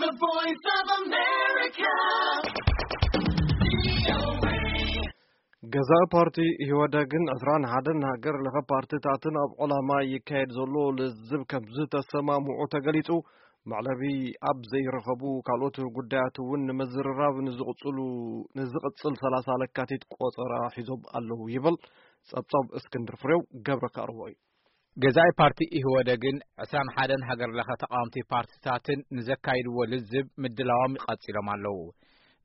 The Voice of America. ገዛኢ ፓርቲ ኢህወደግን ዕስራን ሓደን ሃገር ለኸ ፓርቲታትን ኣብ ዕላማ ይካየድ ዘሎ ልዝብ ከም ዝተሰማምዑ ተገሊጹ። መዕለቢ ኣብ ዘይረኸቡ ካልኦት ጉዳያት እውን ንምዝርራብ ንዝቕጽሉ፣ ንዝቕጽል ሰላሳ ለካቲት ቆጸራ ሒዞም ኣለዉ ይብል ጸብጻብ እስክንድር ፍሬው ገብረ ካርቦ እዩ። ገዛኢ ፓርቲ ኢህወደግን ዕስራን ሓደን ሃገር ለኸ ተቃወምቲ ፓርቲታትን ንዘካይድዎ ልዝብ ምድላዎም ይቐጺሎም ኣለዉ።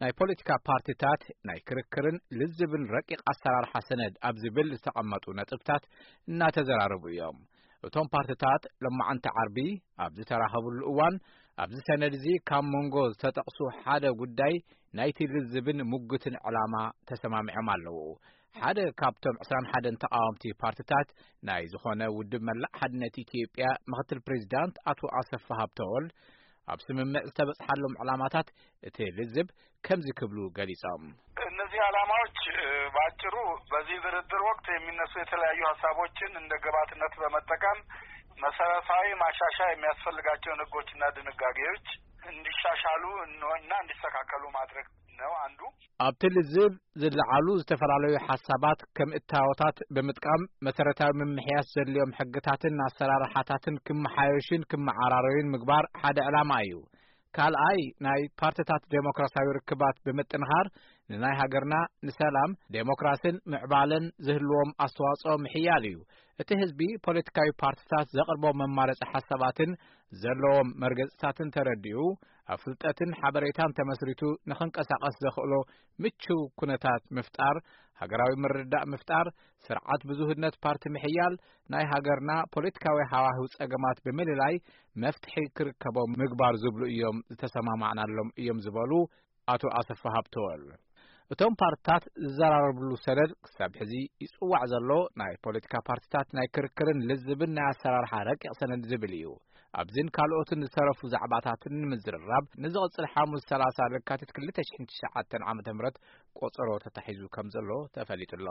ናይ ፖለቲካ ፓርቲታት ናይ ክርክርን ልዝብን ረቂቕ ኣሰራርሓ ሰነድ ኣብ ዝብል ዝተቐመጡ ነጥብታት እናተዘራረቡ እዮም። እቶም ፓርቲታት ሎማዓንቲ ዓርቢ ኣብ ዝተራኸብሉ እዋን፣ ኣብዚ ሰነድ እዚ ካብ መንጎ ዝተጠቕሱ ሓደ ጉዳይ ናይቲ ልዝብን ሙግትን ዕላማ ተሰማሚዖም ኣለዉ። ሓደ ካብቶም ዕስራን ሓደን ተቃወምቲ ፓርቲታት ናይ ዝኾነ ውድብ መላእ ሓድነት ኢትዮጵያ ምኽትል ፕሬዚዳንት ኣቶ ኣሰፋ ሃብተወልድ፣ ኣብ ስምምዕ ዝተበጽሓሎም ዕላማታት እቲ ልዝብ ከምዚ ክብሉ ገሊጾም። እነዚህ ዓላማዎች፣ እ፣ በአጭሩ በዚህ ድርድር ወቅት የሚነሱ የተለያዩ ሀሳቦችን እንደ ግብዓትነት በመጠቀም መሰረታዊ ማሻሻያ የሚያስፈልጋቸውን ህጎችና ድንጋጌዎች እንዲሻሻሉ እና እንዲስተካከሉ ማድረግ ነው አንዱ። ኣብቲ ልዝብ ዝለዓሉ ዝተፈላለዩ ሓሳባት ከም እታወታት ብምጥቃም መሰረታዊ ምምሕያሽ ዘድልዮም ሕግታትን ኣሰራርሓታትን ክመሓየሹን ክመዓራረዩን ምግባር ሓደ ዕላማ እዩ። ካልኣይ ናይ ፓርቲታት ዴሞክራሲያዊ ርክባት ብምጥንኻር ንናይ ሃገርና ንሰላም፣ ዴሞክራሲን ምዕባለን ዝህልዎም ኣስተዋጽኦ ምሕያል እዩ። እቲ ህዝቢ ፖለቲካዊ ፓርቲታት ዘቕርቦ መማረጺ ሓሳባትን ዘለዎም መርገጽታትን ተረዲኡ ኣብ ፍልጠትን ሓበሬታን ተመስሪቱ ንኽንቀሳቐስ ዘኽእሎ ምቹው ኩነታት ምፍጣር፣ ሃገራዊ ምርድዳእ ምፍጣር፣ ስርዓት ብዙህነት ፓርቲ ምሕያል፣ ናይ ሃገርና ፖለቲካዊ ሃዋህው ጸገማት ብምልላይ መፍትሒ ክርከቦም ምግባር ዝብሉ እዮም ዝተሰማማዕናሎም እዮም ዝበሉ ኣቶ ኣሰፋ ሃብተወል። እቶም ፓርትታት ዝዘራረብሉ ሰነድ ክሳብ ሕዚ ይጽዋዕ ዘሎ ናይ ፖለቲካ ፓርትታት ናይ ክርክርን ልዝብን ናይ ኣሰራርሓ ረቂቕ ሰነድ ዝብል እዩ። ኣብዚን ካልኦትን ዝተረፉ ዛዕባታትን ንምዝርራብ ንዝቕጽል ሓሙስ ሰላሳ ለካቲት ክልተ ሽሕን ትሽዓተን ዓመተ ምህረት ቆጸሮ ተታሒዙ ከም ዘሎ ተፈሊጡ ኣሎ።